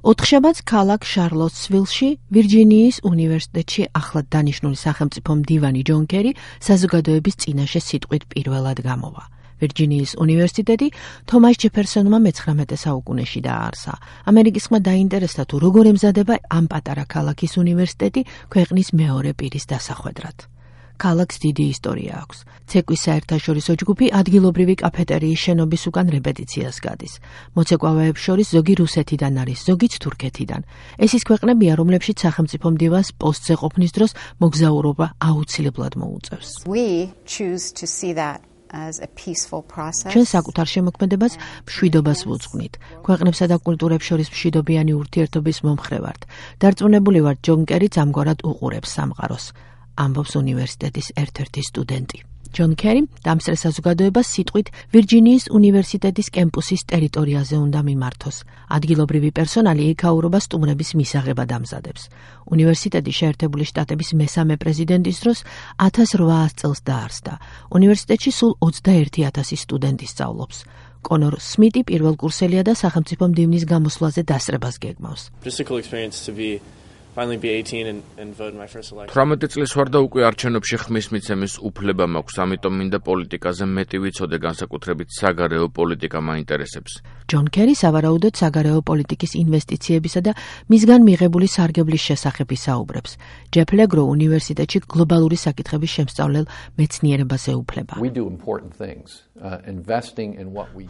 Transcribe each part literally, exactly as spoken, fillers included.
ოთხშაბათს ქალაქ შარლოტსვილში, ვირჯინიის უნივერსიტეტში ახლად დანიშნული სახელმწიფო მდივანი ჯონ კერი საზოგადოების წინაშე სიტყვით პირველად გამოვა. ვირჯინიის უნივერსიტეტი თომას ჯეფერსონმა მეცხრამეტე საუკუნეში დააარსა. ამერიკისმა დაინტერესდა თუ როგორ ემზადება ამ პატარა ქალაქის უნივერსიტეტი ქვეყნის მეორე პირის დასახვედრად. ქალაქს დიდი ისტორია აქვს. ცეკვის საერთაშორისო ჯგუფი ადგილობრივი კაფეტერიის შენობის უკან რეპეტიციას გადის. მოცეკვავეებს შორის ზოგი რუსეთიდან არის, ზოგიც თურქეთიდან. ეს ის ქვეყნებია, რომლებშიც სახელმწიფო მდივანს პოსტზე ყოფნის დროს მოგზაურობა აუცილებლად მოუწევს. ჩვენ საკუთარ შემოქმედებას მშვიდობას ვუძღვნით. ქვეყნებსა და კულტურებს შორის მშვიდობიანი ურთიერთობის მომხრე ვართ. დარწმუნებული ვართ, ჯონ კერიც ამგვარად უყურებს სამყაროს. ამბობს უნივერსიტეტის ერთ-ერთი სტუდენტი. ჯონ კერი დამსწრე საზოგადოებას სიტყვით ვირჯინიის უნივერსიტეტის კემპუსის ტერიტორიაზე უნდა მიმართოს. ადგილობრივი პერსონალი იქაურობა სტუმრების მისაღებად ამზადებს. უნივერსიტეტი შეერთებული შტატების მესამე პრეზიდენტის დროს ათას რვაას წელს დაარსდა. უნივერსიტეტში სულ ოცდაერთი ათასი სტუდენტი სწავლობს. კონორ სმიტი პირველ კურსელია და სახელმწიფო მდივნის გამოსვლაზე დასწრებას გეგმავს. თვრამეტი წლის ვარ და უკვე არჩევნებში ხმის მიცემის უფლება მაქვს, ამიტომ მინდა პოლიტიკაზე მეტი ვიცოდე, განსაკუთრებით საგარეო პოლიტიკა მაინტერესებს. ჯონ კერი სავარაუდოდ საგარეო პოლიტიკის ინვესტიციებისა და მისგან მიღებული სარგებლის შესახებ ისაუბრებს. ჯეფ ლეგრო უნივერსიტეტში გლობალური საკითხების შემსწავლელ მეცნიერებას ეუფლება.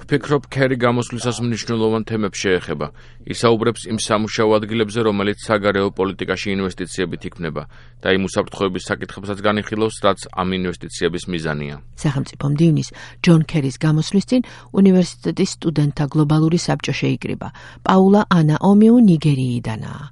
ვფიქრობ, კერი გამოსვლისას მნიშვნელოვან თემებს შეეხება. ისაუბრებს იმ სამუშაო ადგილებზე, რომელიც საგარეო პოლიტიკაში ინვესტიციებით იქმნება და იმ უსაფრთხოების საკითხებსაც განიხილავს, რაც ამ ინვესტიციების მიზანია. სახელმწიფო მდივნის ჯონ კერის გამოსვლის წინ უნივერსიტეტის სტუდენტთა გლობალური საბჭო შეიკრიბა. პაულა ანა ომიუ ნიგერიიდანაა.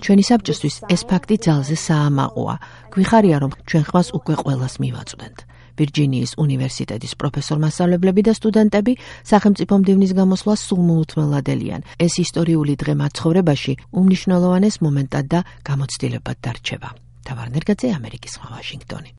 ჩვენი საბჭოსთვის ეს ფაქტი ძალზე საამაყოა. გვიხარია, რომ ჩვენ ხმას უკვე ყველას მივაწვდენთ. ვირჯინიის უნივერსიტეტის პროფესორ-მასწავლებლები და სტუდენტები სახელმწიფო მდივნის გამოსვლას სულ მოუთმელადელიან. ეს ისტორიული დღე მათ ცხოვრებაში უმნიშვნელოვანეს მომენტად და გამოცდილებად დარჩება. თავარ ნერგაძე, ამერიკის ხმა, ვაშინგტონი.